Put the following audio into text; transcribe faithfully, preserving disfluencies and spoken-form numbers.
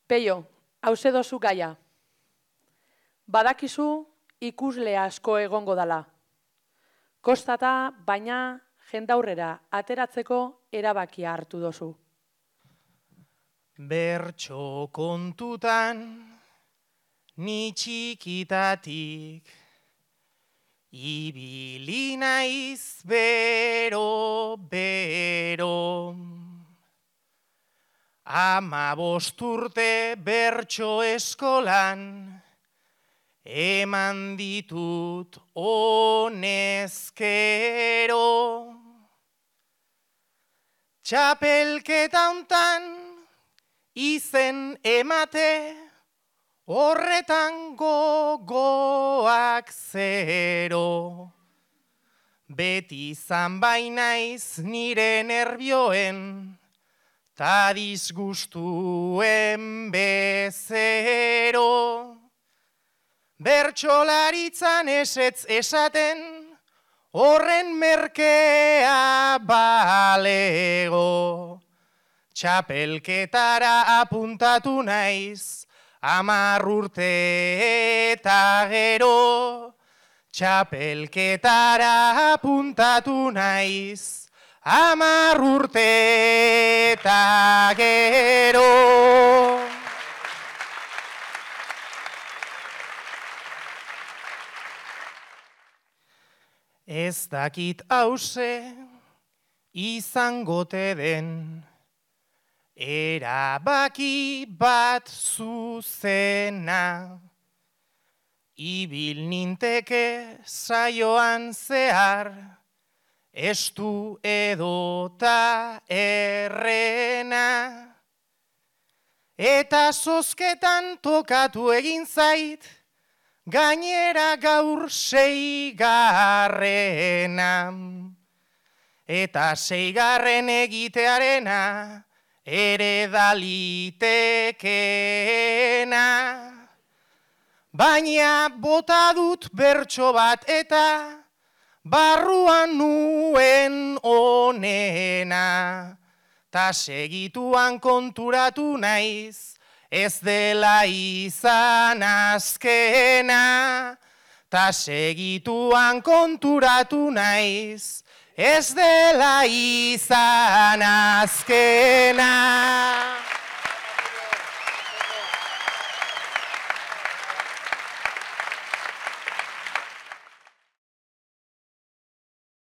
Peio, hauze dozu gaia. Badakizu ikusle asko egongo dala. Kostata, baina jendaurrera ateratzeko erabakia hartu dozu. Bertso kontutan, ni txikitatik, ibili naiz bero, bero. Ama bosturte bertso eskolan, eman ditut honezkero. Txapelketa hontan izen emate, horretan gogoak zero. Beti izan bainaiz nire nerbioen, ta disgustuen bezero. Bertsolaritzan esetz esaten, horren merkea balego. Txapelketara apuntatu naiz, hamar urte eta gero. Txapelketara apuntatu naiz, hamar urte eta gero. Ez dakit hauze izangote den, erabaki bat zuzena. Ibil ninteke saioan zehar, estu edota errena. Eta zozketan tokatu egin zait, gainera gaur seigarrena. Eta seigarren egitearena, ere dalitekena. Baina bota dut bertso bat eta barruan nuen onena. Ta segituan konturatu naiz, ez dela izan azkena. Ta segituan konturatu naiz, ez dela izan azkena.